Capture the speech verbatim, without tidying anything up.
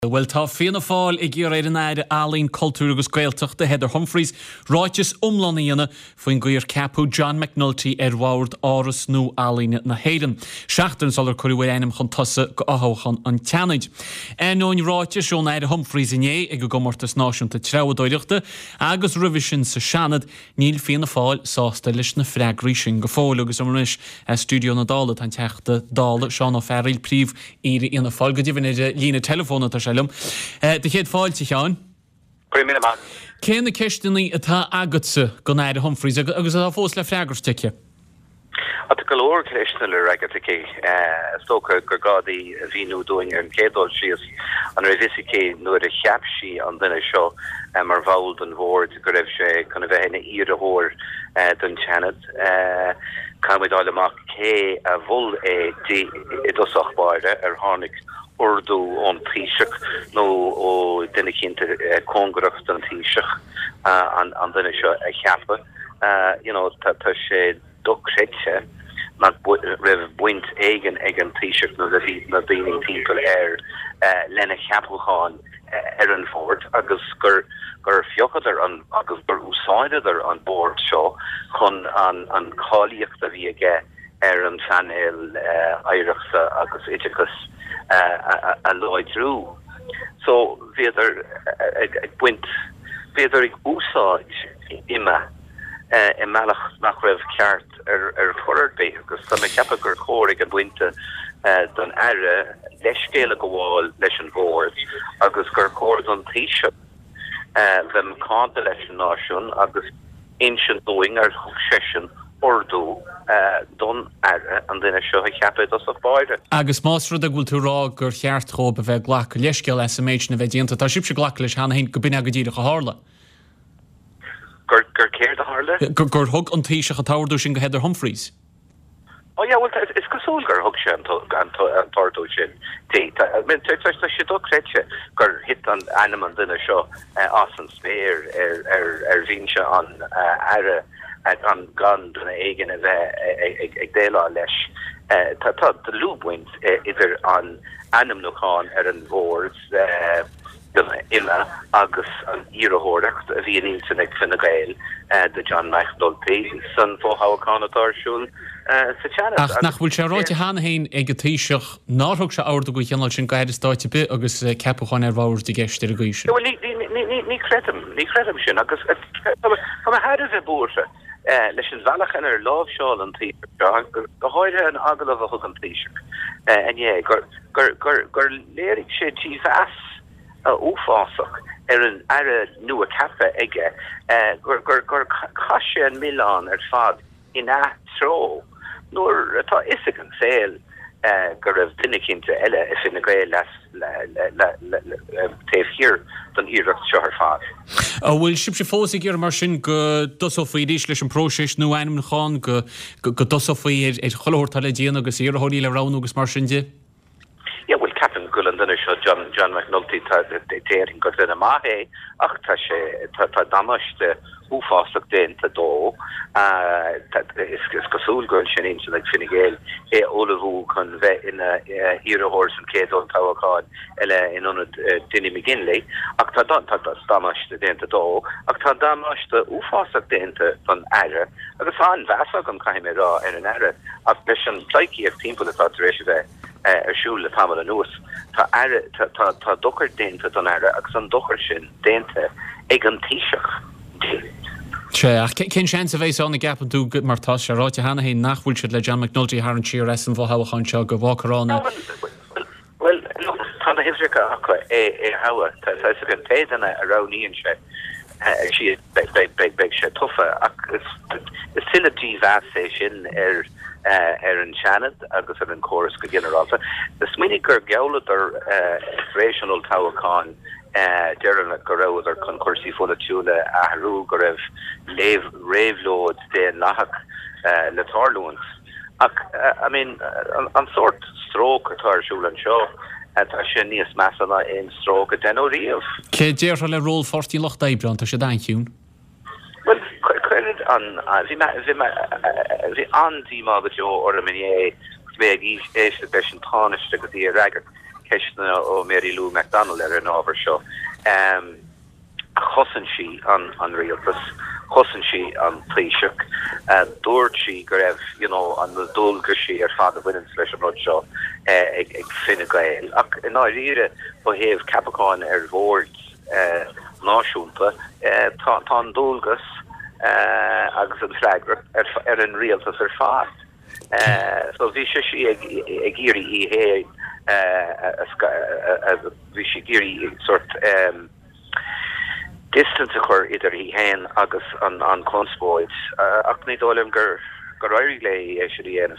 Bhuel, tá Fianna Fáil ag iarraidh ar an Aire Ealaíon, Cultúir agus Gaeltachta, Heather Humphreys, ráiteas iomlán a dhéanamh faoin gcaoi ar ceapadh John McNulty ar bhord Áras Nua-Ealaíne na hÉireann, seachtain sular cuireadh a ainm chun tosaigh do fhothoghchán an tSeanaid. Ainneoin ráitis ón Aire Humphreys inné ag an gComórtas Náisiúnta Treabhdóireachta agus roimhe sin sa Seanad, níl Fianna Fáil sásta leis na freagraí sin go fóill. Agus anois i stiúideo na Dála tá an Teachta Dála Seán Ó Fearghaíl, Príomh-Aoire Fhianna Fáil. Go deimhin ar líne teileafóin atá sé liom. Do chéad fáilte, a Sheáin. Go raibh míle maith. Cé na ceisteanna atá agatsa don Aire Humphreys agus atá fós le freagairt aici? Tá go leor ceisteanna le freagairt aici. Is dócha gur gá di a mhíniú dúinn ar an gcéad dul síos an raibh fhios aici nuair a cheap sí an duine seo mar bhall den bhord go raibh sé chun a bheith ina iarrthóir don tSeanad. Caithfimid fháil amach cé a mhol é di i dtosach báire, ar tháinig ordú ón Taoiseach nó ó duine eicínt cóngarach don Taoiseach an duine seo a cheapadh. You know, tá sé dochreidte nach raibh baint éigin ag an Taoiseach nó na daoine timpeall air lena cheapachán ar an bhord agus gur gur phiocadar an agus gur úsáideadar an bord seo chun an an cháilíocht a bhí aige ar an phainéal oidhreachta agus oideachais a láidriú. So bhíodar ag baint, bhíodar ag úsáid IMMA i mbealach nach raibh ceart ar chor ar bith agus tá mé ag ceapadh gur chóir ag an bpointe don Aire leithscéal a ghabháil leis an Bhord agus gur chóir don Taoiseach bheith macánta leis an náisiún agus insint dúinn ar thug seisean ordú don Aire an duine seo a cheapadh i dtosach báire. Agus más rud é go bhfuil tú ag rá gur cheart dhóibh a bheith ag glacadh leithscéal as an méid sin a bheith déanta, tá sibhse ag glacadh leis cheana féin go b'in é go díreach a tharla. Gur gur céard a tharla? Gur gur thug an Taoiseach an t-ordú sin go Heather Humphreys. Oh yeah, bhuel is cosúil gur thug sé an t-ordú sin di. Tá sé dochreidte gur thit an ainm an duine seo as an spéir ar bhinse an Aire gan gan duine éigin a bheith ag déileáil leis. Tá dlúthbhaint idir an ainmniúchán ar an bhord IMMA agus an iarrthóireacht a bhí in intinn ag Fine Gael do John McNulty san fhothoghchán atá ar siúl sa Seanad. Ach nach bhfuil sé ráite cheana féin ag an Taoiseach nár thug sé ordú den chineál sin go Aire Stáit ar bith agus ceapachán ar bhord i gceist ar an gcaoi sin? Bhuel, ní chreidim, ní chreidim sin agus tá mé thar a bheith buartha leis an bhealach inar láimhseáil an Taoiseach seo, go háirithe an agallamh a thug an Taoiseach inné, gur gur gur léirigh sé dímheas uafásach ar an aire nua ceaptha aige, gur gur gur chaith sé an milleán ar fad ina treo nuair atá fhios ag an saol go raibh duine eicínt eile i Fine Gael taobh thiar den iarracht seo ar fad. An bhfuil sibhse fós ag iarraidh mar sin go dtosófaí arís leis an bpróiseas nua ainmniúcháin, go dtosófaí ar chuile shórt atá le déanamh agus iarrthóirí le roghnú agus mar sin de? Yeah, bhuel, ceapaim go bhfuil an duine seo, John, John McNulty, tá, déarfainn gur duine maith é, ach tá sé, tá, tá damáiste uafásach déanta dó. Tá, is, is cosúil go bhfuil sé in intinn ag Fine Gael é a ullmhú chun bheith ina iarrthóir san chéad olltoghchán eile in ionad Dinny McGinley, ach tá, tá damáiste déanta dó, ach tá damáiste uafásach déanta don Aire, agus tá an-mheas agam, caithfidh mé a rá, ar an Aire, ach leis an bpleidhcíocht timpeall atá tar éis a bheith ar siúl le tamall anuas, tá aire, tá, tá, tá dochar déanta don Aire agus an dochar sin déanta ag an Taoiseach di. Sea, ach cén seans a bheas ann, an gceapann tú, mar tá sé ráite cheana féin nach bhfuil siad le John McNulty a tharraingt siar as an bhfothoghchán seo, go bhfágfar ann é? Bhuel, look, tá na huimhreacha acu é a thoghadh. Tá a fhios againn, pé duine a roghnaíonn sé, siad, beidh sé tofa. Ach is tuilleadh dímheas é sin ar ar an Seanad agus ar an chóras go ginearálta. Smaoinigh gur ghealladar tar éis an olltoghcháin deireanach go rabhadar chun cúrsaí pholaitiúla a athrú, go raibh réabhlóid daonlathach le tarlúint. Ach, I mean, an sórt stróc atá ar siúl anseo, tá sé níos measa ná aon stróc a deineadh riamh. Cé déarfá le ról Pháirtí an Lucht Oibre ann? Tá siad an-chiúin. Bhuel, cuireann an, bhí mé, bhí mé, bhí an-díomá go deo orm inné agus mé ag éisteacht leis an Tánaiste agus í ag freagairt ceisteanna ó Mary Lou McDonald ar an ábhar seo um, chosain sí an an rialtas chosain sí an Taoiseach uh, dúirt sí go raibh you know, an dualgaisí ar fad a bhaineann leis an rud seo uh, ag, ag Fine Gael ach i ndáiríre ó thaobh ceapacháin ar bhord uh, náisiúnta uh, tá tá an dualgas uh, agus an freagracht ar, ar an rialtas ar fad. Uh, so bhí sé sí ag ag iarraidh í féin bhí sí ag iarraidh sort um, distance a chur idir í féin agus an an conspóid uh, ach ní dóigh liom gur gur éirigh léi é sin a dhéanamh.